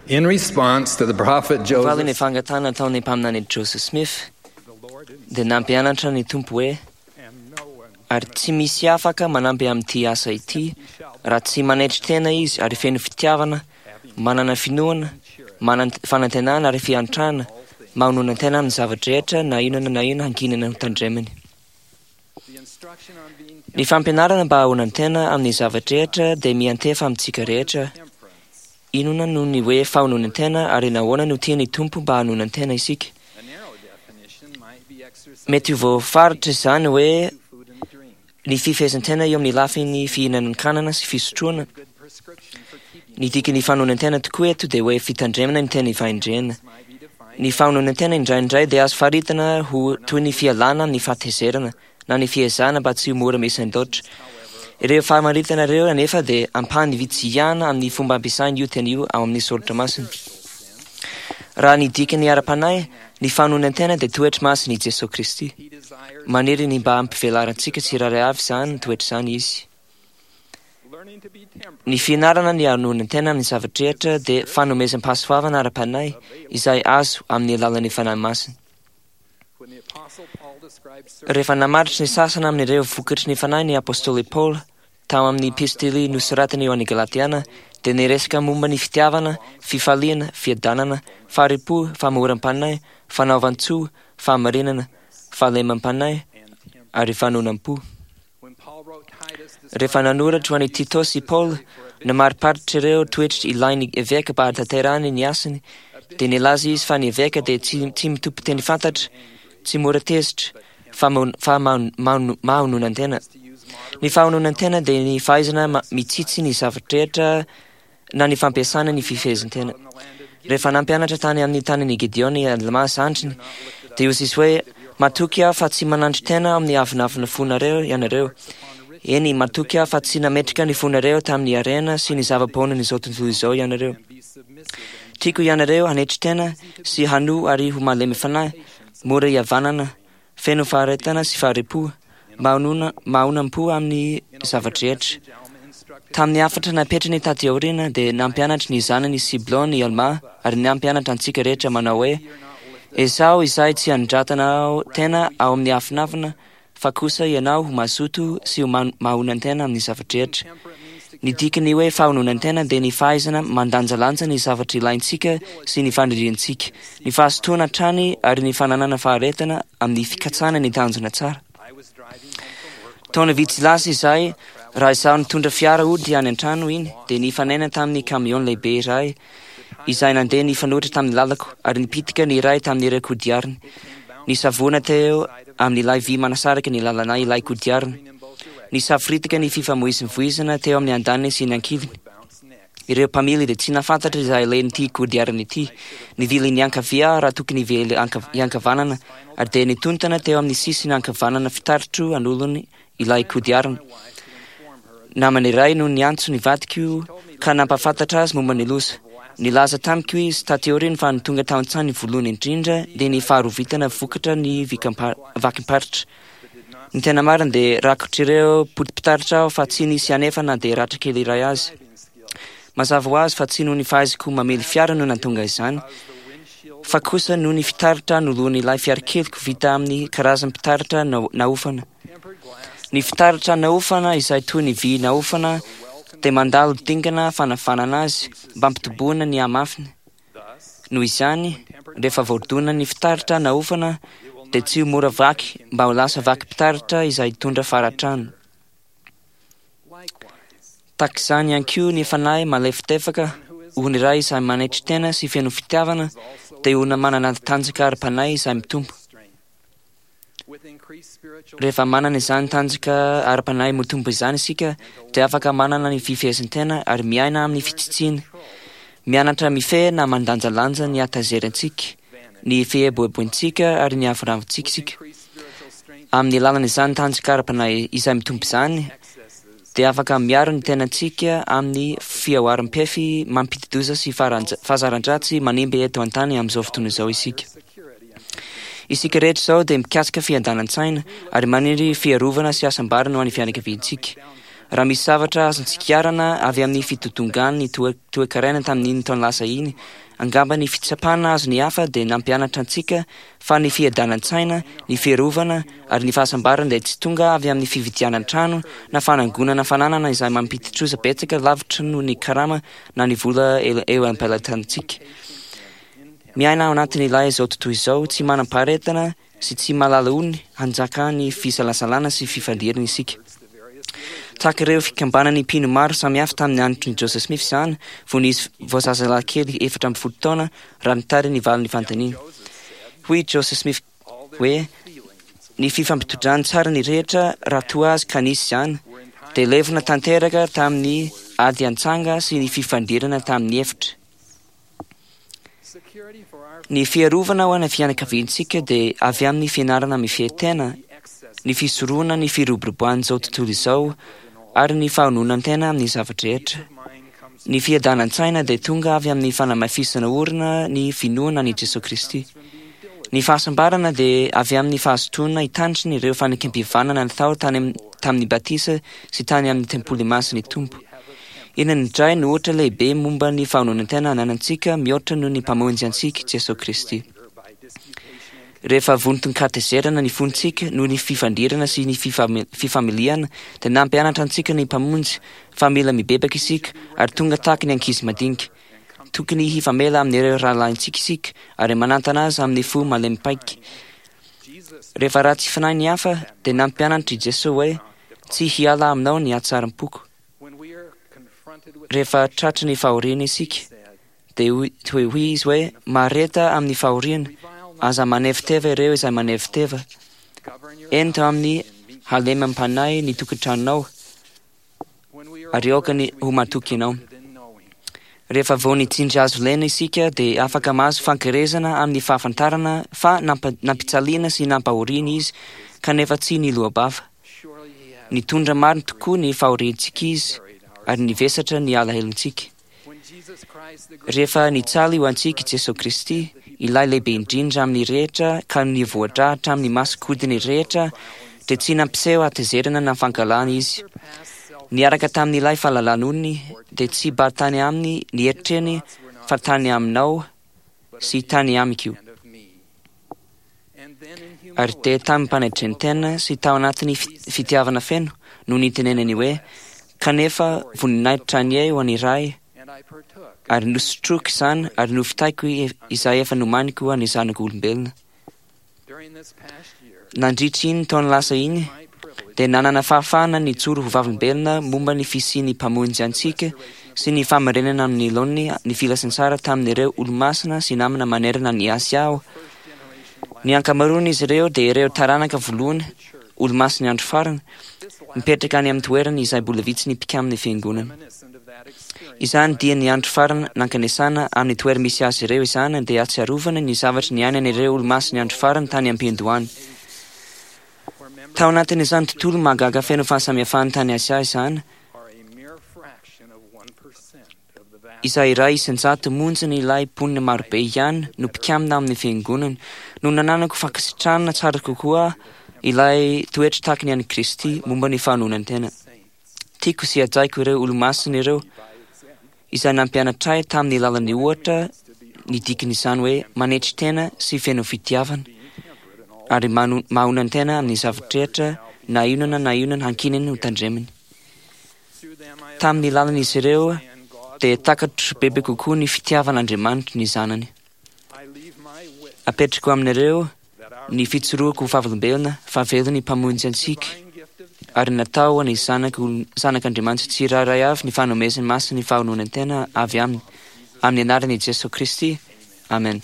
In response to the prophet Valy ny Joseph, fangatahana nataon'ny mpaminany Joseph Smith the Lord dia nampianatra ny Tompo hoe and no one ary tsy misy afaka manampy amin'ity asa ity raha tsy manetry tena izy ary feno fitiavana, manana finoana, manana fanantenana ary fiantrana, mahononan-tena amin'ny zavatra rehetra na inona na inona hankinana ho tandremany. the instruction on being Ny fampianarana mba hahononan-tena amin'ny zavatra rehetra dia miantefa amintsika rehetra. temperance, Inona no ny hoe fahononan-tena ary nahoana no tian'ny Tompo mba hanonan-tena isika? a narrow definition might be exercised Mety ho voafaritra izany hoe food and drink, ny fifehezan-tena eo amin'ny lafin'ny fihinanan-kanana sy fisotroana. good prescription for keeping Ny dikan'ny fahononan-tena tokoa eto dia hoe fitandremana ny tena fahendrena. might be defined Ny fahononan-tena indraindray dia azo faritana ho toy ny fialana amin'ny fahatezerana na ny fiezahana mba tsy ho mora misendoatra. Ireo famaritana ireo anefa dia ampahany vitsy ihany amin'ny fomba ampiasaina io teny io ao amin'ny soratra masina. Raha ny dikany ara-panahy, ny fahononan-tena dia toetra masin'i Jesoa Kristy. he desires Maniry ny mba hampivelarantsika tsirairay avy izany toetra izany izy. learning to be temperate Ny fianarana ny hanonan-tena amin'ny zavatra rehetra dia fanomezam-pahasoavana ara-panahy izay azo amin'ny alalan'ny Fanahy Masina. when the apostle Paul describes certain Rehefa namaritra ny sasany amin'ireo vokatry ny fanahy ny apôstôly Paoly tao amin'ny epistily nosoratany eo an'ny Galatiana dia niresaka momba ny fitiavana, fifaliana, fiadanana, fahari-po, famoram-panahy, fanaovan-tsoa, fahamarinana, fahalemam-panahy ary fanonam-po. when Paul wrote Titus Rehefa nanoratra ho an'i Titosy i Paoly, namariparitra ireo toetra ilain'ny eveka mba hahatanterahany ny asany, dia nilaza izy fa ny eveka dia tsy, tsy mitompo teny fantatra, tsy mora tezitra, fa maho- fa maho- maho- mahononan-tena. to use moderate Ny fahononan-tena dia ny fahaizana ma- mitsitsy ny zavatra rehetra na ny fampiasana ny fifehezan-tena. in the land of Rehefa nampianatra tany amin'ny tanin'i Gideon i Alma zandriny, dia hoy izy hoe matoky aho fa tsy manandry tena amin'ny avonavona fonareo ianareo. Eny, matoky aho fa tsy nametraka ny fonareo tamin'ny harena sy ny zava-poanan'izao tontolo izao ianareo. and be submissive and Tiako ianareo hanetry tena sy hanoa ary ho malemy fanahy, mora hihavanana, feno faharetana sy fahari-po, mahonona mahonam-po amin'ny zavatra rehetra. message Alma instructed Tamin'ny hafatra napetrany taty aoriana dia nampianatra ny zanany Siblon i Alma ary nampianatra antsika rehetra manao hoe Ezaho izay tsy handratana tena ao amin'ny afinafina fa kosa ianao ho mazoto sy ho man- mahonan-tena amin'ny zavatra rehetra. temperate means to Ny dikany hoe fahononan-tena dia ny fahaizana mandanjalanja ny zavatra ilaintsika sy ny faniriantsika, ny fahazotoana hatrany ary ny fananana faharetana amin'ny fikatsana ny tanjona tsara. I was driving home from work Taona vitsy lasa izay, raha izaho nitondra fiara hody any an-trano iny, dia nifanena tamin'ny kamion lehibe iray izay nandeha nifanohitra tamin'ny lalako ary nipitika ny iray tamin'ireo kodiariny. Nisavoana teo amin'ilay vy manasaraka ny lalanay ilay kodiarina. in both directions Nisaforitika ny fifamoivoizana teo amin'ny andaniny sy ny ankiliny. bounce next Ireo mpamily dia tsy nahafantatra izay alehan'ity kodiarana ity. Nivily ny ankavia raha tokony hivily anka- hiankavanana ary dia nitontana teo amin'ny sisiny ankavanana fitaritro anolony ilay kodiarana. my wife to inform her of Namany iray no niantso ny vadiko ka nampahafantatra azy momba ny loza. Nilaza tamiko izy taty aoriana fa ny tonga tao an-tsainy voalohany indrindra dia ny faharovitana vokatra ny vikampa- vakim-paritra. but did not Ny tena marina dia rakotr'ireo poti-pitaratra aho fa tsy nisy anefa na dia ratra kely iray azy. driving skills Mazava ho azy fa tsy noho ny fahaizako mamely fiara no nahatonga izany, because the windshield fa kosa noho ny fitaratra noloan'ilay fiarakeliko vita amin'ny karazam-pitaratra nao- naofana. tempered glass Ny fitaratra naofana izay toy ny vy naofana dia mandalo dingana fanavanana azy mba hampitoboana ny hamafiny. thus Noho izany, rehefa voadona ny fitaratra naofana dia tsy ho mora vaky mba ho lasa vakim-pitaratra izay hitondra faratrano. likewise Tahaka izany ihany koa ny fanahy malefadefaka, olona iray izay manetry tena sy feno fitiavana dia olona manana tanjaka ara-panahy izay mitombo. strength with increased spiritual Rehefa manana izany tanjaka ara-panahy mitombo izany isika dia afaka manana ny fifehezan-tena ary miaina amin'ny fitsitsiana. Mianatra mifehy na mandanjalanja ny hatazerantsika, ny fieboeboantsika ary ny avonavontsika isika. increased spiritual strength Amin'ny alalan'izany tanjaka ara-panahy izay mitombo izany excesses dia afaka miaro ny tenantsika amin'ny fihoaram-pefy mampidi-doza sy faranja- fahazaran-dratsy manimba eto an-tany amin'izao fotoana izao isika. security and Isika rehetra izao dia mikatsaka fiadanan-tsaina ary maniry fiarovana sy hasambarana ho an'ny fianakaviantsika. Raha misy zavatra azontsika iarana avy amin'ny fitotongan'ny toe-karena tamin'iny taona lasa iny, angamba ny fitsapana azon'ny hafa dia nampianatra antsika fa ny fiadanan-tsaina, ny fiarovana ary ny fahasambarana dia tsy tonga avy amin'ny fividianan-trano na fanangonana fananana izay mampidi-trosa betsaka lavitra noho ny karama na ny vola eo am-pelatanantsika. Miaina ao anatin'ilay izao tontolo izao tsy manam-paharetana sy tsy mahalala ony hanjakan'ny fisalasalana sy fifandirana isika. Tahaka ireo fikambanan'ny mpino maro samihafa tamin'ny andron'i Joseph Smith izany, fony izy vao zazalahy kely 14 taona, raha nitary ny valin'ny fanontaniana. Hoy i Joseph Smith hoe, Ny fifampitondrany tsara ny rehetra raha toa azy ka nisy izany, dia levona tanteraka tamin'ny ady antsanga sy ny fifandirana tamin'ny efitra. Ny fiarovana ho an'ny fianakaviantsika dia avy amin'ny fianarana mifehy tena, ny fisorohana ny firoboroboan'izao tontolo izao ary ny fahononan-tena amin'ny zava-drehetra. Ny fiadanan-tsaina dia tonga avy amin'ny fanamafisana orina ny finoana an'i Jesoa Kristy. Ny fahasambarana dia avy amin'ny fahazotoana hitandrina ireo fanekempihavanana natao tany tamin'ny batisa sy tany amin'ny tempoly masin'ny Tompo. Inona indray no ohatra lehibe momba ny fahononan-tena ananantsika mihoatra noho ny Mpamonjy antsika, Jesoa Kristy? Rehefa vonton-katezerana ny fontsika noho ny fifandirana sy ny fifamiliana, dia nampianatra antsika ny Mpamonjy fa mila mibebaka isika ary tonga tahaka ny ankizy madinika. Tokony hifamela amin'ireo rahalahintsika isika ary manantana azy amin'ny fo malemy paika. Rehefa ratsy fanahy ny hafa, dia nampianatra i Jesoa hoe, Tsy hiala aminao ny hatsaram-poko. Rehefa tratry ny fahoriana isika, dia hoy izy hoe, Mahareta amin'ny fahoriana, aza maneviteva ireo izay maneviteva. Ento amin'ny halemem-panahy ny tokantranonao, ary aoka ny ho matoky ianao. Rehefa vao nitsindry hazo lena isika, dia afaka mahazo fankerezana amin'ny fahafantarana fa nampijaliana sy nampahoriana izy, kanefa tsy niloa-bava. Nitondra marina tokoa ny fahoriantsika Izy ary nivesatra ny alahelontsika. Rehefa nijaly ho antsika i Jesoa Kristy, ilay lehibe indrindra amin'ny rehetra ka nivoadraha hatramin'ny masonkodiny rehetra, dia tsy nampiseho hatezerana na fankahalana Izy. Niaraka tamin'ilay fahalalan'olony, dia tsy mba tany aminy ny eritreriny fa tany aminao sy tany amiko. Ary dia tamim-panetren-tena sy tao anatin'ny fitiavana feno no nitenenany hoe, Kanefa voninahitra anie ho an'ny Ray, ary nosotroiko izany ary novitaiko izay efa nomaniko ho an'ny zanak'olombelona. Nandritra iny taona lasa iny, dia nanana fahafahana nijoro ho vavolombelona momba ny fisian'ny Mpamonjy antsika sy ny fahamarinana amin'ny laoniny ny filazantsara tamin'ireo Olomasina sy namana manerana an'i Asia aho. Ny ankamaroan'izy ireo dia ireo taranaka voalohany, Olomasin'ny Andro Farany, mipetraka any amin'ny toerana izay mbola vitsy ny mpikamin'ny Fiangonana. Izany dia ny andro farany nankanesana amin'ny toera-misy azy ireo izany dia ahatsiarovana ny zavatra niainan'ireo Olomasin'ny Andro Farany tany am-piandohana. Tao anatin'izany tontolo mahagaga feno fahasamihafana tany Asia izany, izay 1% monjan'ilay mponina marobe ihany no mpikamina amin'ny Fiangonana, no nananako fankasitrahana tsara kokoa ilay toetra tahaka ny an'i Kristy momba ny fahanonan-tena. Tiako sy hajaiko ireo Olomasina ireo, izay nampianatra ahy tamin'ny lalan'ny ohatra ny dikan'izany hoe manetry tena sy feno fitiavana, ary mahonan-tena amin'ny zava-drehetra na inona na inona hankininy ho tandremany. Tamin'ny lalan'izy ireo dia takatro bebe kokoa ny fitiavan'Andriamanitra ny Zanany. Apetrako aminareo ny fijoroako ho vavolombelona fa velona ny Mpamonjy antsika ary natao ho an'ny Zanak'Andriamanitra tsirairay avy ny fanomezany masin'ny fahononan-tena avy Aminy, amin'ny anaran'i Jesoa Kristy, amen.